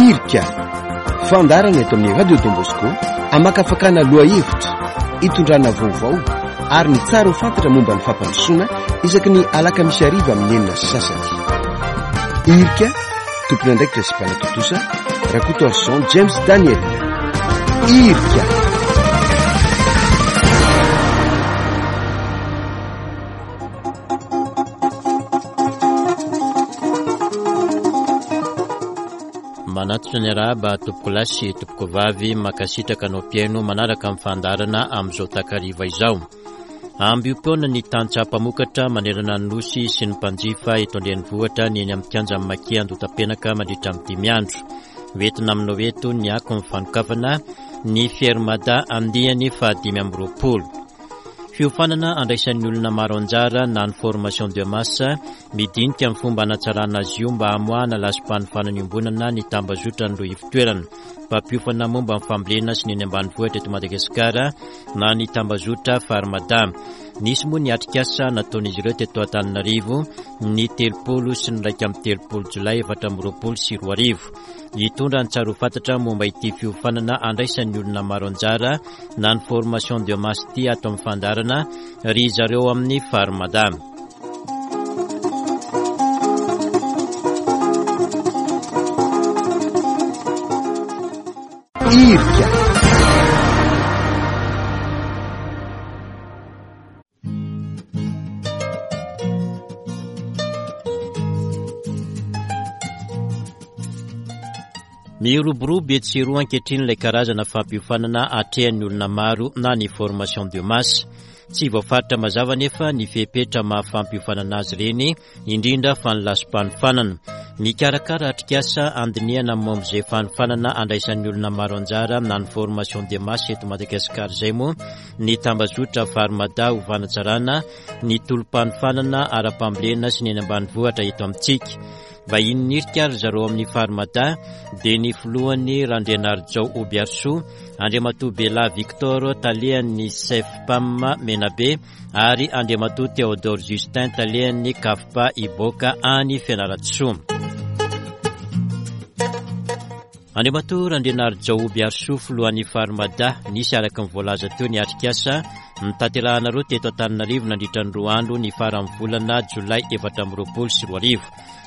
Irika, fandaharana eto amin'ny Radio Don Bosco hamakafakana lohahevitra, hitondrana vaovao ary ny tsara ho fantatra momba ny fampandrosoana isaky ny alakamisy hariva amin'ny 6:30. Irika, tompon'andraikitra sy mpanatontosa, Rakotoarison James Daniel. Irika. Manatitra ny arahaba tompokolahy sy tompokovavy, mankasitraka anao mpihaino manaraka ny fandaharana amin'izao takariva izao. Ambiom-poana ny tantsaha mpamokatra manerana ny Nosy sy ny mpanjifa eto an-drenivohitra ny eny amin'ny kianjan'ny Maki Andotapenaka mandritra ny dimy andro. Hoentina aminao eto ny akon'ny fanokafana ny Fermada andiany faha 25. Fiofanana andraisan'ny olona maro anjara na ny formation de masse, midinika ny fomba hanatsarana azy io mba hamoahana lasi-panofanana iombonana ny tambazotran'ireo ivon-toerana mpampiofana momba ny fambolena sy ny eny ambanivohitra eto Madagasikara na ny tambazotra Farmada. Nisy moa ny atrikasa nataon'izy ireo teto Antananarivo ny 30 sy ny 31 jolay 2024. Hitondra ny tsara ho fantatra momba ity fiofanana andraisan'ny olona maro anjara na ny formation de masse ity ato amin'ny fandaharana ry zareo amin'ny Farmada. Irika. Miroborobo etsy sy eroa ankehitriny ilay karazana fampiofanana atrehan'ny olona maro na ny formation de masse. Tsy voafaritra mazava anefa ny fepetra maha fampiofanana azy ireny, indrindra fa ny lasi-panofanana. Mikarakara atrikasa handinihana momba izay fanofanana andraisan'ny olona maro anjara na ny formation de masse eto Madagasikara izay moa ny tambazotra Farmada ho fanatsarana ny tolo-panofanana ara-pambolena sy ny eny ambanivohitra eto amintsika. Vahiny nirika ry zareo amin'ny Farmada dia ny filohany Randrianarijao Obiarisoa, Andriamatoa Bela Victor talehan'ny Cefpam Menabe ary Andriamatoa Théodore Justin talehan'ny Cafpa Iboaka any Fianarantsoa. Andriamatoa Randrianarijao Obiarisoa filohan'ny Farmada, nisy araka ny voalaza teo ny atrikasa notanterahanareo teto Antananarivo nandritra ny roa andro ny faran'ny volana jolay 2024.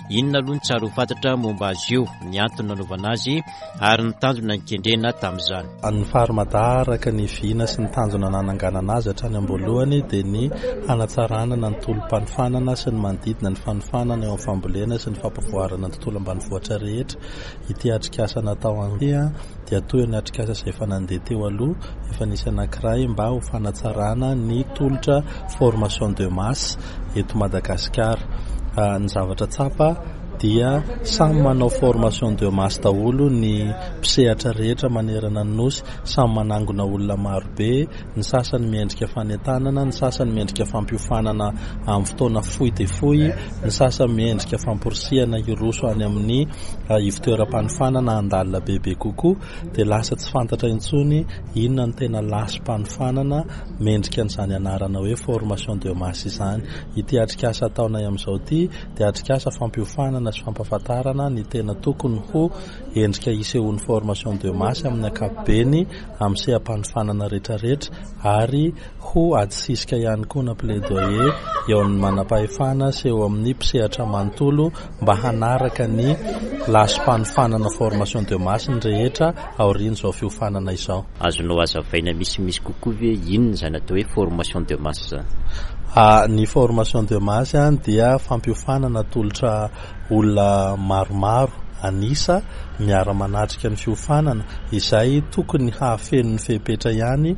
Inona aloha ny tsara ho fantatra momba azy io, ny antony nanaovana azy ary ny tanjona nikendrena tamin'izany? Ny Farmada araka ny vina sy ny tanjona nananganana azy hatrany am-boalohany dia ny hanatsarana ny tolo-panofanana sy ny manodidina ny fanofanana eo amin'ny fambolena sy ny fampivoarana ny tontolo ambanivohitra rehetra. Ity atrikasa natao ity dia toy ny atrikasa izay efa nandeha teo aloha, efa nisy anankiray mba ho fanatsarana ny tolotra formation de masse eto Madagasikara. Ny zavatra tsapa dia samy manao formation de masse daholo ny mpisehatra rehetra manerana ny Nosy, samy manangona olona marobe, ny sasany miendrika fanentanana, ny sasany miendrika fampiofanana amin'ny fotoana fohy dia fohy, ny sasany miendrika famporisihana hiroso any amin'ny ivon-toeram-panofanana handalina bebe kokoa, dia lasa tsy fantatra intsony inona no tena lasi-panofanana mendrika an'izany anarana hoe formation de masse izany. Ity atrikasa ataonay amin'izao ity dia atrikasa fampiofanana sy fampahafantarana ny tena tokony ho endrika hisehoan'ny formation de masse amin'ny ankapobeny amin'ny seha-panofanana rehetrarehetra ary ho ady sisika ihany koa na plaidoyer eo amin'ny manam-pahefana sy eo amin'ny mpisehatra manontolo mba hanaraka ny lasi-panofanana formation de masse ny rehetra aorian'izao fiofanana izao. Azonao hazavaina misimisy kokoa ve inona izany atao hoe formation de masse izany? Ny formation de masse dia fampiofanana atolotra olona maromaro an'isa miara-manatrika ny fiofanana izay tokony hahafeno ny fepetra ihany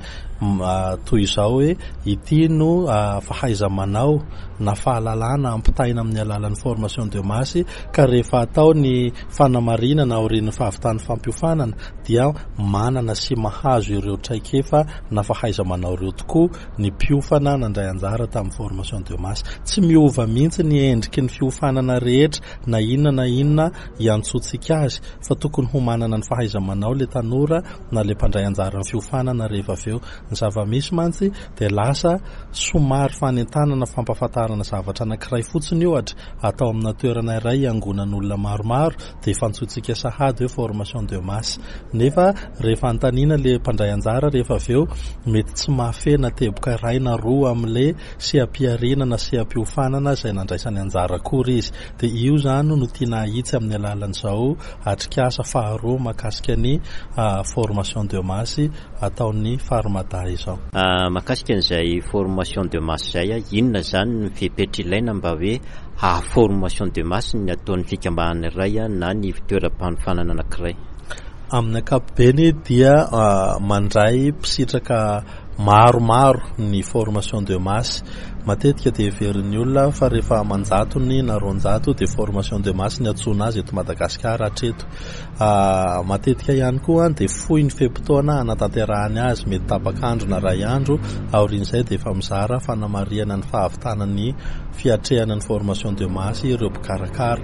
toy izao hoe ity no fahaiza-manao na fahalalana ampitaina amin'ny alalan'ny formation de masse ka rehefa atao ny fanamarinana aorian'ny fahavitan'ny fampiofanana dia manana sy mahazo ireo traikefa na fahaiza-manao ireo tokoa ny mpiofana nandray anjara tamin'ny formation de masse. Tsy miova mihitsy ny endriky ny fiofanana rehetra na inona na inona iantsoantsika azy. fa tokony ho manana ny fahaiza-manao ilay tanora na ilay mpandray anjara amin'ny fiofanana rehefa avy eo. Ny zava-misy mantsy dia lasa somary fanentanana fampahafantarana zavatra anankiray fotsiny ohatra atao amina toerana iray iangonan'olona maromaro dia efa antsointsika sahady hoe formation de masse. Nefa rehefa anontaniana ilay mpandray anjara rehefa avy eo mety tsy mahafehy na teboka iray na roa amin'ilay seha-pihariana na seha-piofanana izay nandraisany anjara akory izy. Dia io izany no tiana hahitsy amin'ny alalan'izao atrikasa faharoa mahakasika ny formation de masse ataon'ny Farmada izao. Mahakasika an'izay formation de masse izay, inona izany ny fepetra ilaina mba hoe haha formation de masse ny ataon'ny fikambanana iray na ny ivon-toeram-panofanana anankiray? Amin'ny ankapobeny dia mandray mpisitraka maromaro ny formation de masse. Matetika dia heverin'ny olona fa rehefa aman-jatony na 200 dia formation de masse ny antsoina azy eto Madagasikara hatreto. Matetika ihany koa dia fohy ny fe-potoana hanatanterahany azy, mety tapak'andro na iray andro, aorian'izay dia efa mizara fanamarihana ny fahavitana ny fiatrehana ny formation de masse ireo mpikarakara.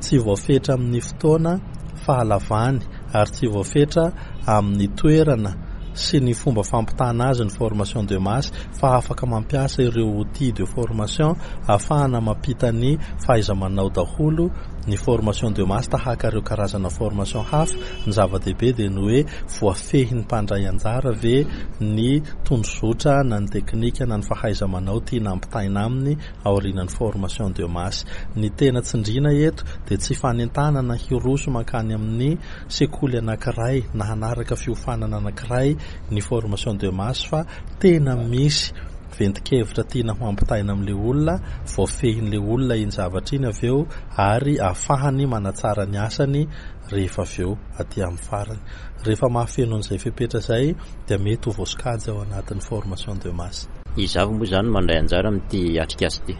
Tsy voafetra amin'ny fotoana, fahalavany ary tsy voafetra amin'ny toerana sy ny fomba fampitana azy ny formation de masse fa afaka mampiasa ireo outils de formation ahafahana mampita ny fahaiza-manao daholo ny formation de masse tahaka ireo karazana formation hafa. Ny zava-dehibe dia ny hoe voafehin'ny mpandray anjara ve ny tondrozotra na ny teknika na ny fahaiza-manao tiana ampitaina aminy aorianan'ny formation de masse. Ny tena tsindriana eto dia tsy fanentanana hiroso mankany amin'ny sekoly anankiray na hanaraka fiofanana anankiray ny formation de masse fa tena misy ventin-kevitra tiana ho ampitaina amin'ilay olona, voafehin'ilay olona iny zavatra iny avy eo ary ahafahany manatsara ny asany rehefa avy eo aty amin'ny farany. Rehefa mahafeno an'izay fepetra izay dia mety ho voasokajy ao anatin'ny formation de masse. Iza avy moa izany no mandray anjara amin'ity atrikasa ity?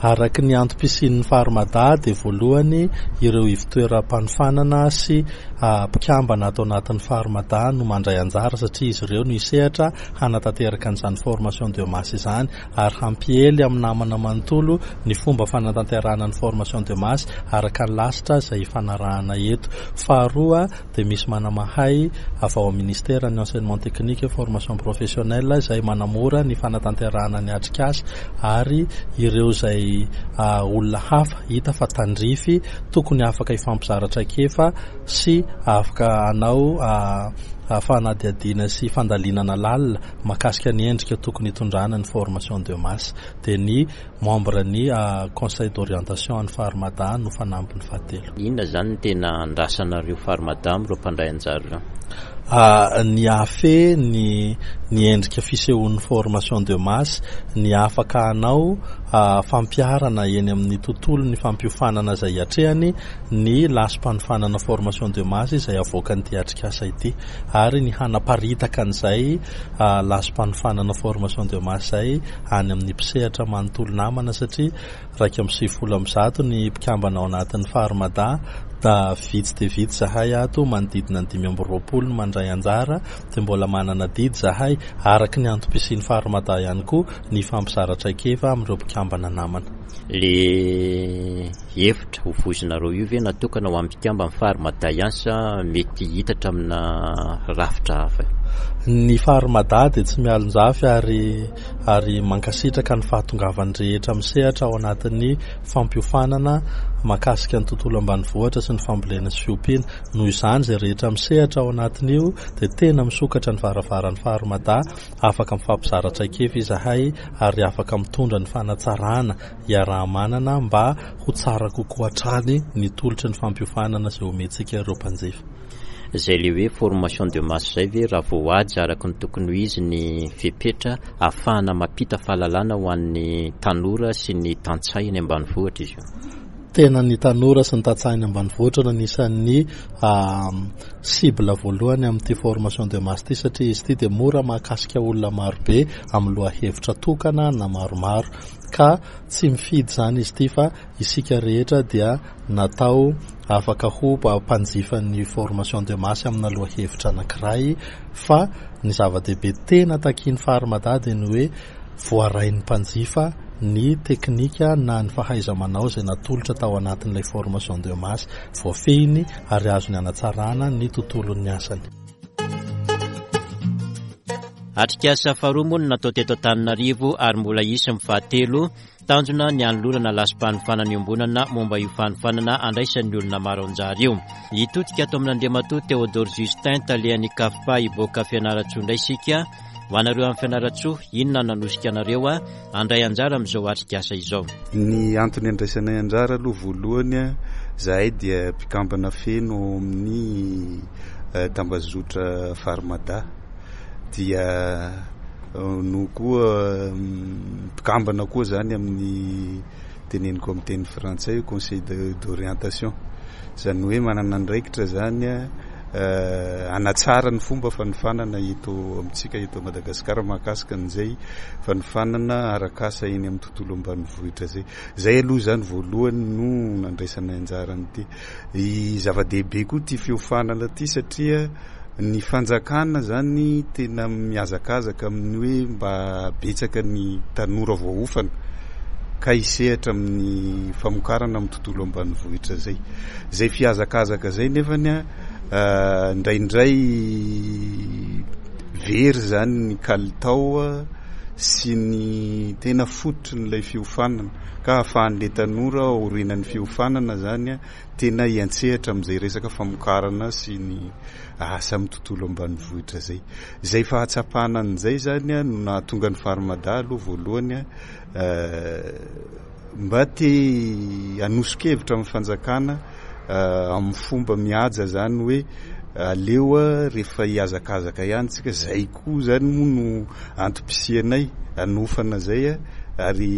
Araka ny antom-pisian'ny Farmada dia voalohany ireo ivotoeram-panofanana sy mpikambana ato anatin'ny Farmada no mandray anjara satria izy ireo no hisehatra hanatanteraka an'izany formation de masse izany ary hampiely amin'ny namana manontolo ny fomba fanatanterahana ny formation de masse araka ny lasitra izay ifanarahana eto. Faharoa dia misy manamahay avy ao amin'ny ministeran'ny enseignement technique et formation professionnelle izay manamora ny fanatanterahana ny atrikasa ary ireo izay olona hafa hita fa tandrify tokony afaka hifampizara traikefa sy afaka hanao fanadihadiana sy fandalinana lalina mahakasika ny endrika tokony hitondrana ny formation de masse dia ny membre ny conseil d'orientation an'ny Farmada no fanampiny fahatelo. Inona izany no tena andrasanareo Farmada amin'ireo mpandray anjara ireo? Ny hahafehy ny ny endrika fisehoan'ny formation de masse, ny afaka hanao fampiharana eny amin'ny tontolon'ny fampiofanana izay hiatrehany ny lasi-panofanana formation de masse izay avoakan'ity atrikasa ity ary ny hanaparitaka an'izay lasi-panofanana formation de masse izay any amin'ny mpisehatra manontolo namana satria 191 ny mpikambana ao anatin'ny Farmada da vitsy dia vitsy zahay ato manodidina ny 25 no mandray anjara dia mbola manana adidy zahay araka ny antom-pisian'ny Farmada ihany koa ny hifampizara traikefa amin'ireo mpikambana namana. Le Hevitra ho voizinareo io ve natokana ho an'ny mpikamban'ny Farmada ihany sa mety hitatra amina rafitra hafa? Ny Farmada dia tsy mialonjafy ary ary mankasitraka ny fahatongavan'ny rehetra misehatra ao anatin'ny fampiofanana mahakasika ny tontolo ambanivohitra sy ny fambolena sy fiompiana. Noho izany izay rehetra misehatra ao anatin'io dia tena misokatra ny varavaran'ny Farmada, afaka mifampizara traikefa izahay ary afaka mitondra ny fanatsarana iaraha-manana mba ho tsara kokoa hatrany ny tolotry ny fampiofanana izay omentsika ireo mpanjifa. Izay le hoe formation de masse izay ve raha voahaja araka ny tokony ho izy ny fepetra ahafahana mampita fahalalana ho an'ny tanora sy ny tantsaha eny ambanivohitra izy io? Tena ny tanora sy ny tantsaha eny ambanivohitra no anisan'ny cible voalohany amin'ity formation de masse ity satria izy ity dia mora mahakasika olona marobe amin'ny lohahevitra tokana na maromaro. Ka tsy mifidy izany izy ity fa isika rehetra dia natao afaka ho mpanjifan'ny formation de masse amina lohahevitra anankiray fa ny zava-dehibe tena takian'ny Farmada dia ny hoe voarain'ny mpanjifa ny teknika na ny fahaiza-manao izay natolotra tao anatin'ilay formation de masse voafehiny ary azony hanatsarana ny tontolon'ny asany. Atrikasa faharoa moa no natao teto Antananarivo ary mbola hisy ny fahatelo. Tanjona ny hanolorana lasi-panofanana iombonana momba io fanofanana andraisan'ny olona maro anjara io. Hitodika ato amin'Andriamatoa Théodore Justin, talehan'ny CAFPA hivoaka Fianarantsoa indray isika. Ho anareo any Fianarantsoa, inona no nanosika anareo handray anjara amin'izao atrikasa izao? Ny antony andraisanay anjara aloha voalohany, izahay dia mpikambana feno ao amin'ny tambazotra Farmada. Dia no koa mpikambana koa zany amin'ny teneniko amin'ny teny frantsay hoe conseil d'orientation. Izany hoe manana andraikitra zany hanatsara ny fomba fanofanana eto amintsika eto Madagasikara mahakasika an'izay fanofanana arak'asa eny amin'ny tontolo ambanivohitra izay. Izay aloha izany voalohany no nandraisanay anjara an'ity. Zava-dehibe koa ity fiofanana ity satria ny fanjakana zany tena mihazakazaka amin'ny hoe mba betsaka ny tanora voaofana ka hisehatra amin'ny famokarana amin'ny tontolo ambanivohitra zay. Zay fihazakazaka zay nefany indraindray very zany ny kalitao sy ny tena fototrin'ilay fiofanana ka ahafahan'ilay tanora aorianan'ny fiofanana zany tena hiantsehatra amin'izay resaka famokarana sy ny asa amin'ny tontolo ambanivohitra izay. Izay fahatsapana an'izay izany no nahatonga ny Farmada aloha voalohany mba te hanoso-kevitra amin'ny fanjakana amin'ny fomba mihaja izany hoe aleo rehefa hihazakazaka ihany tsika, izay koa izany moa no antom-pisianay hanofana izay ary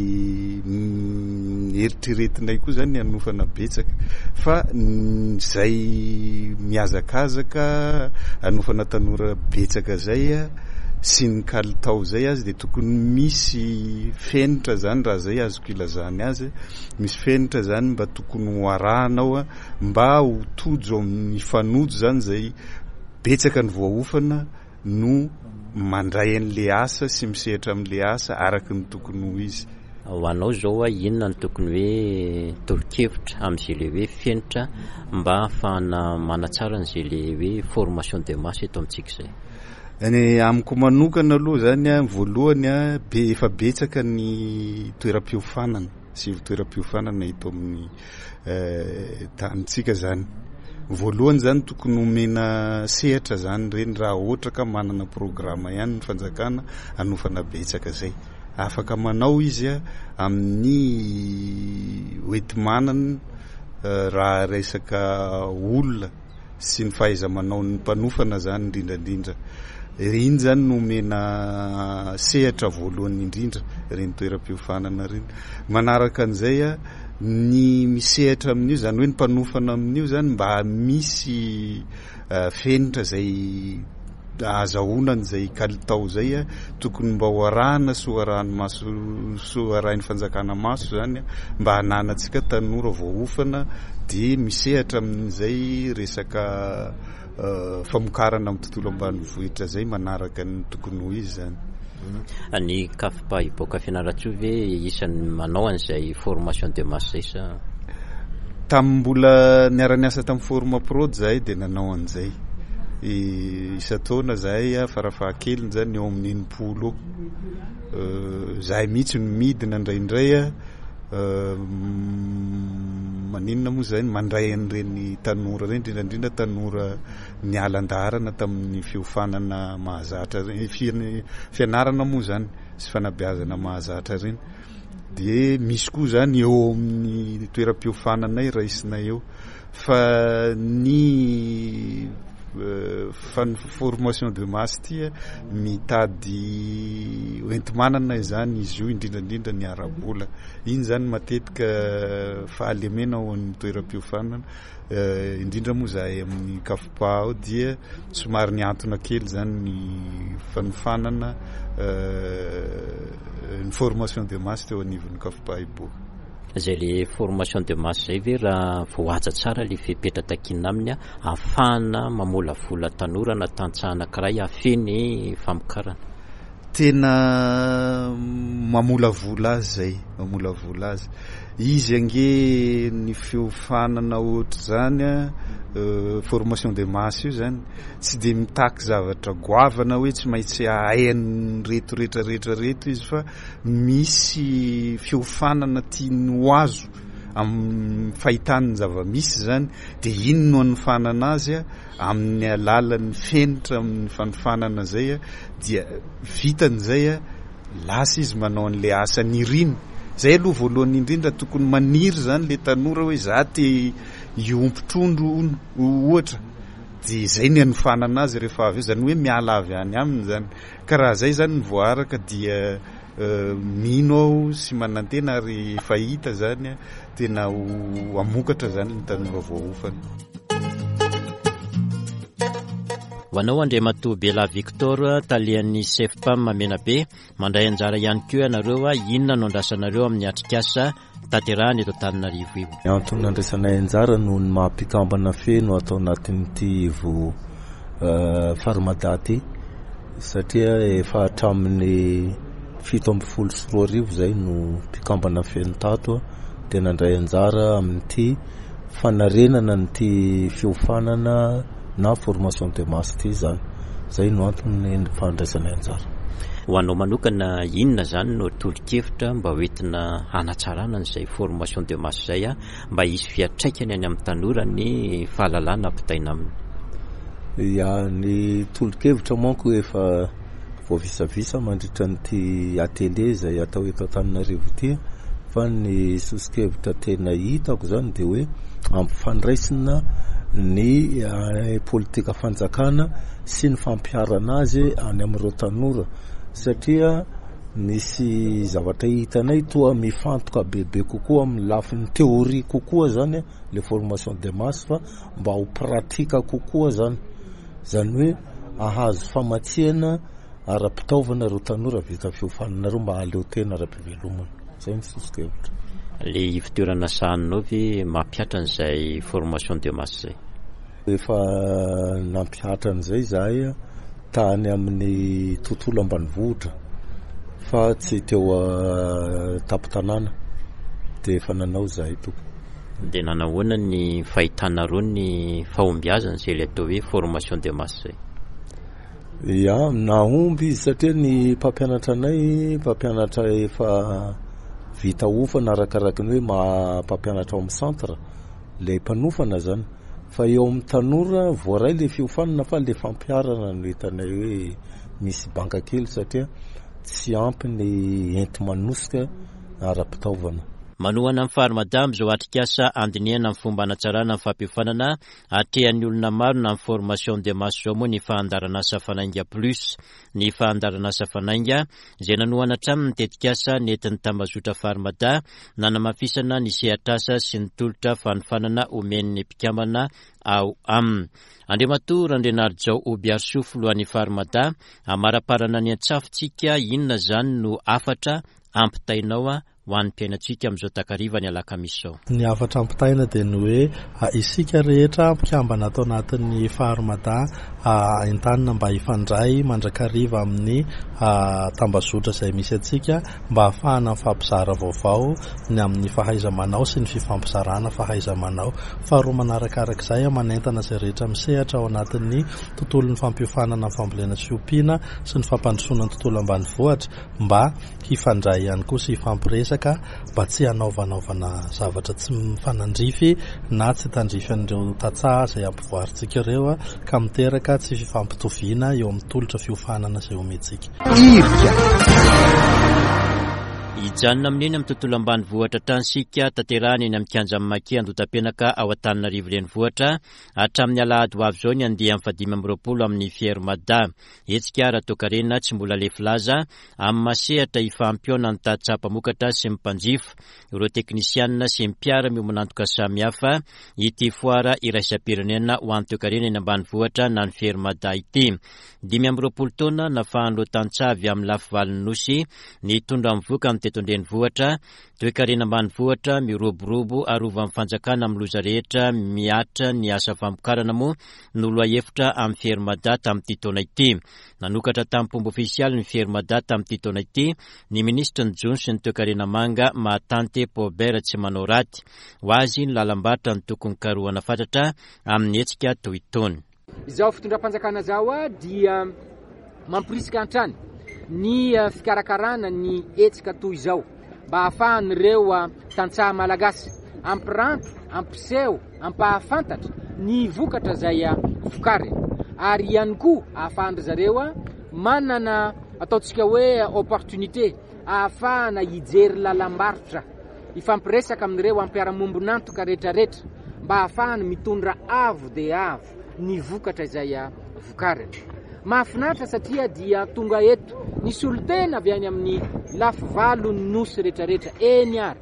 eritreretinay koa izany ny hanofana betsaka fa izay mihazakazaka hanofana tanora betsaka izay sy ny kalitao izay azy dia tokony misy fenitra izany raha izay azoko ilazana azy, misy fenitra izany mba tokony ho arahana ao mba ho tojo amin'ny mifanojo izany izay betsaka ny voaofana no mandray an'le asa sy misehatra amin'le asa araka ny tokony ho izy. Ho anao izao inona no tokony hoe tolo-kevitra amin'izay le hoe fenitra mba hahafahana manatsara an'izay le hoe formation de masse eto amintsika izay? Ny amiko manokana aloha izany an, voalohany an, be efa betsaka ny toeram-piofanana sy ivon-toeram-piofanana eto amin'ny tanintsika zany. Voalohany zany tokony omena sehatra zany ireny raha ohatra ka manana programa ihany ny fanjakana hanofana betsaka zay. Afaka manao izy amin'ny hoenti-manana raha resaka olona sy ny fahaiza-manaon'ny mpanofana zany indrindra indrindra. Iny zany no omena sehatra voalohany indrindra ireny toeram-piofanana ireny. Manaraka an'izay, ny misehatra amin'io, izany hoe ny mpanofana amin'io zany mba misy fenitra izay ahazahoana an'izay kalitao izay, tokony mba ho arahana sy ho arahan'ny maso sy ho arahin'ny fanjakana maso izany mba hananantsika tanora voaofana dia misehatra amin'izay resaka famokarana amin'ny tontolo ambanivohitra izay manaraka ny tokony ho izy izany. Ny CAFPA hiboaka Fianarantsoa ve isan'ny manao an'izay formation de masse izay sa? Tamin'ny mbola niara-niasa tamin'ny Formaprod izahay dia nanao an'izay. Isan-taona izahay farafahakeliny izany eo amin'ny 60 eo. Izahay mihitsy no midina indraindray maninona moa izay mandray an'ireny tanora ireny, indrindra indrindra tanora niala an-daharana tamin'ny fiofanana mahazatra ireny, fianarana moa izany sy fanabeazana mahazatra ireny. Dia misy koa izany eo amin'ny toeram-piofananay raisinay eo. Fa ny formation de masse ity mitady hoenti-manana izany izy io, indrindra indrindra ny ara-bola. Iny izany matetika fahalemena ao amin'ny toeram-piofanana, indrindra moa izahay amin'ny CAFPA ao dia somary nihantona kely izany ny fanofanana ny formation de masse teo anivon'ny CAFPA Iboho. Izay le formation de masse izay ve raha voahaja tsara le fepetra takiana aminy ahafahana mamolavola tanora na tantsaha anankiray hahafehy ny famokarana? Tena mamolavola azy zay, mamolavola azy. Izy ange ny fiofanana ohatr'izany an, formation de masse io zany, tsy dia mitaky zavatra goavana hoe tsy maintsy hahay an'ireto rehetra rehetra reto izy fa misy fiofanana tiany ho azo amin'ny fahitany ny zava-misy zany dia iny no anofanana azy amin'ny alalan'ny fenitra amin'ny fanofanana zay dia vitany zay lasa izy manao an'le asa niriny. Zay aloha voalohany indrindra tokony maniry zany le tanora hoe za te hiompy trondro hono ohatra dia zay ny anofanana azy rehefa avy eo, zany hoe miala avy any aminy zany. Ka raha zay zany ny voaaraka dia mino aho sy manantena ary efa hita zany tena ho hamokatra zany ny tanora voaofana. Ho anao Andriamatoa Bela Victor, talehan'ny Sefpam Menabe, mandray anjara ihany koa ianareo, inona no andrasanareo amin'ny atrikasa tanterahana eto Antananarivo io? Ny antony nandraisanay anjara noho ny maha mpikambana feno ato anatin'ity ivo Farmada ity satria efa hatramin'ny 2017 izay no mpikambana feno tato dia nandray anjara amin'ity fanarenana an'ity fiofanana na formation de masse ity izany. Izay no antony fandraisanay anjara. Ho anao manokana, inona izany no tolo-kevitra mba ho entina hanatsarana an'izay formation de masse izay mba hisy fiantraikany any amin'ny tanora ny fahalalana ampitaina aminy? Ya, ny tolo-kevitra manko efa voavisavisa mandritra an'ity atelier izay atao eto Antananarivo ity fa ny soso-kevitra tena hitako izany dia hoe ampifandraisina ny politika fanjakana sy ny fampiharana azy any amin'ireo tanora satria misy zavatra hitanay toa mifantoka bebe kokoa amin'ny lafiny théorie kokoa zany le formation de masse fa mba ho pratique kokoa zany Izany hoe ahazo famatsiana ara-pitaovana ireo tanora vita fiofanana ireo mba hahaleo tena ara-pivelomana. Izay ny soso-kevitra. Le ivotoerana sahaninao ve mampihatra an'izay formation de masse izay? Efa nampihatra an'izay izahay tany amin'ny tontolo ambanivohitra fa tsy teo an-tampon-tanàna dia efa nanao izahay tompoko. Dia nanahoana ny fahitanareo ny fahombiazana izay ilay atao hoe formation de masse izay? Ya, nahomby izy satria ny mpampianatra anay mpampianatra efa vita ofana arakaraky ny hoe maha mpampianatra ao amin'ny centre, ilay mpanofana zany. Fa eo amin'ny tanora voaray ilay fiofanana fa ilay fampiharana no hitanay hoe misy banga kely satria tsy ampy ny enti-manosika ara-pitaovana. Manohana ny Farmada amin'izao atrikasa handinihana ny fomba hanatsarana ny fampiofanana atrehan'ny olona maro na ny formation de masse izao moa ny fandaharanasa Fanainga Plus. Ny fandaharanasa Fanainga, izay nanohana hatrany ny tetikasa nentin'ny tambazotra Farmada nanamafisana ny sehatr'asa sy ny tolotra fanofanana omen'ny mpikambana ao aminy. Andriamatoa Randrianarijao Hobiarisoa filohan'ny Farmada, hamaraparana ny antsafintsika, inona izany no hafatra ampitainao ho an'ny mpiainantsika amin'izao takariva ny alakamisy izao. Ny hafatra ampitaina dia ny hoe isika rehetra mpikambana ato anatin'ny Farmada entanina mba hifandray mandrakariva amin'ny tambazotra izay misy antsika mba hahafahana mifampizara vaovao ny amin'ny fahaiza-manao sy ny fifampizarana fahaiza-manao. Faharoa manarakarak'izay, manentana izay rehetra misehatra ao anatin'ny tontolon'ny fampiofanana ny fambolena sy fiompiana sy ny fampandrosoana ny tontolo ambanivohitra mba hifandray ihany koa sy hifampiresaka mba tsy hanaovanaovana zavatra tsy mifanandrify na tsy tandrify an'ireo tantsaha izay ampivoarintsika ireo ka miteraka tsy fifampitoviana eo amin'ny tolotra fiofanana izay omentsika. Irika. Hijanona amin'iny amin'ny tontolo ambanivohitra hatrany isika, tanterahina eny amin'ny kianjan'ny Maki Andotapenaka ao Antananarivo Renivohitra hatramin'ny alahady ho avy izao ny andiany fahadimy amby 20 amin'ny Fier Mada. Hetsika ara-toekarena tsy mbola lefy laza amin'ny maha sehatra ifampihaonan'ny tantsaha mpamokatra sy ny mpanjifa, ireo teknisianina sy ny mpiara-miombon'antoka samihafa ity foara iraisam-pirenena ho an'ny toekarena eny ambanivohitra na ny Fermada ity. 25 taona nafahan'ireo tantsaha avy amin'ny lafivalon'ny Nosy nitondra ny vokany. teto an-drenivohitra, toekarena ambanivohitra miroborobo arovan'ny fanjakana amin'ny loza rehetra mihatra ny asa famokarana moa no lohahevitra amin'ny Fier-Mada tamin'ity taona ity. Nanokatra tamim-pomba ofisialy ny Fier-Mada tamin'ity taona ity ny minisitry ny Jono sy ny toekarena manga Mahatante Paubert Tsimanaoraty. Ho azy ny lalam-barotra no tokony karohana fatratra amin'ny hetsika toy itony. Izao fitondram-panjakana izao dia mamporisika hatrany ny fikarakarana ny hetsika toy izao mba hahafahan'ireo tantsaha malagasy hampiranty, hampiseho, hampahafantatra ny vokatra izay vokariny ary ihany koa hahafahan-dry zareo manana ataontsika hoe opportunité ahafahana hijery lalam-barotra, hifampiresaka amin'ireo mpiara-mombon'antoka rehetrarehetra mba ahafahany mitondra avo dia avo ny vokatra izay vokariny. Mahafinaritra satria dia tonga eto ny solontena avy any amin'ny lafivalon'ny nosy rehetrarehetra, eny ary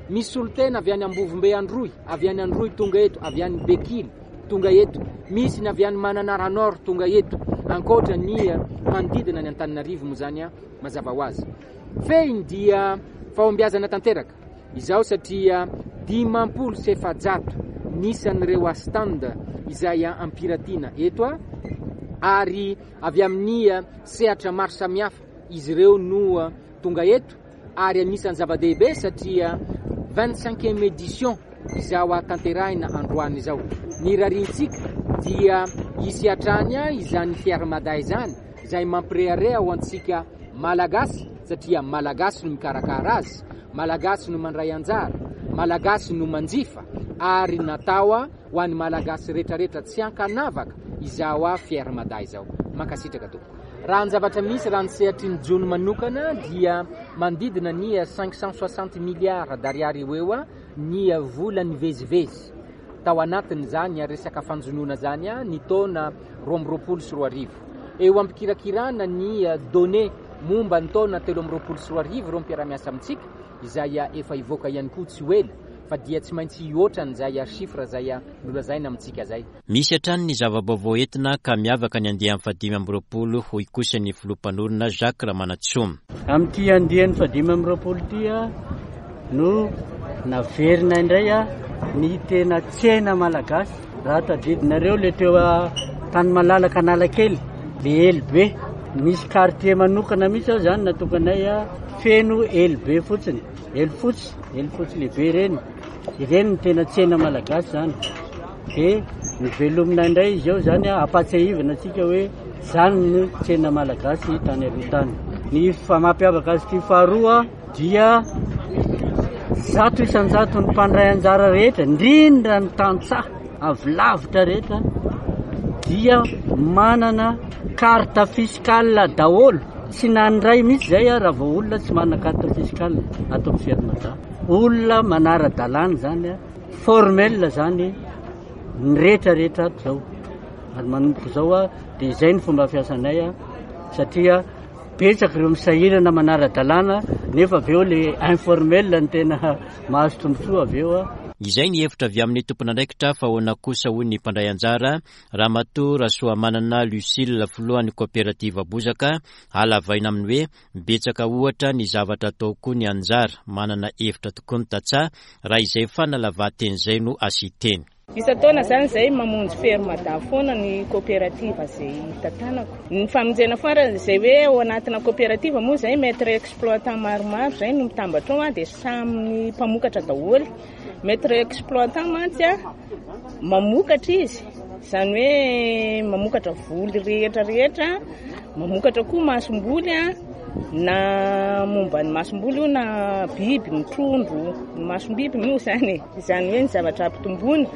misy solontena avy any Ambovombe Androy, avy any Androy tonga eto, avy any Bekily tonga eto, misy ny avy any Mananara Nord tonga eto, ankoatra ny manodidina ny Antananarivo moa izany. Mazava ho azy. Fehiny dia fahombiazana tanteraka izao satria 450 ny isan'ireo stand izay ampiratiana eto ary avy amin'ny sehatra maro samihafa izy ireo no tonga eto ary anisan'ny zava-dehibe satria vingt-cinquième édition izao tanterahina androany izao. Ny rariantsika dia hisy hatrany izany Fier Mada izany izay mampirehareha ho antsika Malagasy satria Malagasy no mikarakara azy, Malagasy no mandray anjara, Malagasy no manjifa ary natao ho an'ny Malagasy retraretra tsy ankanavaka izao Fier Mada izao. Mankasitraka tompoko. Raha ny zavatra misy, raha ny sehatry ny jono manokana dia manodidina ny 560 milliards d'ariary eo eo ny vola nivezivezy tao anatin'izany resaka fanjonoana izany ny taona 2022. Eo am-pikirakirana ny données momba ny taona 2023 ireo mpiara-miasa amintsika izay efa hivoaka ihany koa tsy ho ela fa dia tsy maintsy hihoatra an'izay chiffre izay nolazaina amintsika izay. Misy hatrany ny zava-baovao entina ka miavaka ny andiany fahadimy amby roapolo, hoy kosa ny filoha mpanorina Jacques Ramanantsoa. Amin'ity andiany fahadimy amby roapolo ity no naverina indray ny tena tsena malagasy. Raha tadidinareo le teo tany malalaka Analakely, le elo be, misy quartier manokana mihitsy ao zany natokanay feno elo be fotsiny, elo fotsy, elo fotsy lehibe ireny. Ireny ny tena tsena malagasy zany. Dia novelomina indray izy eo zany ampatsiahivana antsika hoe zany ny tsena malagasy tany aloha tany. Ny mampiavaka azy ity faharoa dia 100% ny mpandray anjara rehetra, indrindra ny tantsaha avy lavitra rehetra dia manana carte fiscale daholo. Tsy nandray mihitsy zay raha vao olona tsy manana carte fiscale ato amin'ny Fier Mada. Olona manara-dalàna zany, formel zany ny rehetra rehetra ato zao. Ary manomboka izao dia izay ny fomba fiasanay satria betsaka ireo misahirana manara-dalàna nefa avy eo le informel no tena mahazo tombontsoa avy eo. Izay ny hevitra avy amin'ny tompon'andraikitra fa ahoana kosa hoy ny mpandray anjara, Ramatoa Rasoamanana Lucille filohan'ny kaoperativa Bozaka, halavaina amin'ny hoe Betsaka ohatra ny zavatra atao koa ny anjara, manana hevitra tokoa ny tantsaha raha izay fanalavahan-teny izay no asian-teny. Isan-taona izany izay mamonjy ferme da foana ny coopérative izay tantanako. Ny famonjena foara izay hoe ao anatina coopérative moa izay maître exploitant maromaro izay no mitambatra ao dia samy mpamokatra daholo. Maître exploitant mantsy mamokatra izy, izany hoe mamokatra voly rehetra rehetra, mamokatra koa masomboly na momba ny masomboly io na biby, ny trondro, ny masom-biby moa izany e, izany hoe ny zavatra ampitomboina.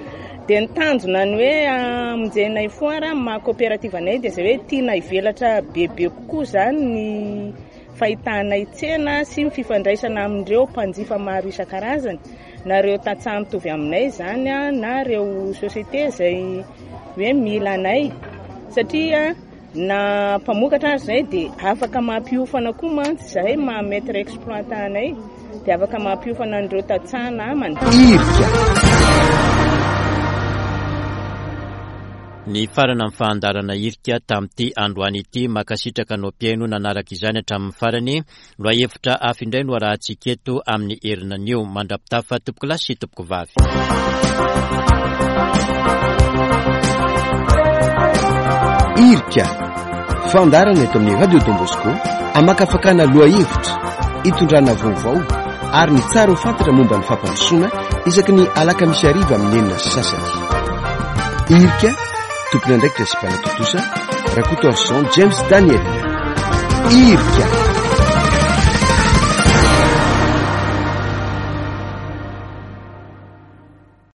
Dia ny tanjona ny hoe hamonjenay foara amin'ny maha coopérative anay dia izay hoe tiana hivelatra bebe kokoa izany ny fahitanay tsena sy ny fifandraisana amin'ireo mpanjifa maro isan-karazany, na ireo tantsaha mitovy aminay izany na ireo société izay hoe mila anay, satria na mpamokatra aza izay dia afaka mampiofana koa mantsy izahay maha maître exploitant anay dia afaka mampiofana an'ireo tantsaha namana. Irika. Nifarana ny fahandarana hirika tamin'ity androany ity. Mankasitraka anao mpihaino nanaraka izany hatramin'ny farany. Lohahevitra hafa indray no arahantsika eto amin'ny herinanio. Mandra-pitafa tompokolahy sy tompokovavy. Hirika, fandaharana eto amin'ny Radio Don Bosco, amakafakana lohahevitra, itondrana vaovao ary ny tsara ho fantatra momba ny fampandrosoana isaky ny alakamisy hariva amin'ny 6:30. Hirika, tompon'andraikitra sy mpanatontosa, Rakotoarison James Daniel. Hirika.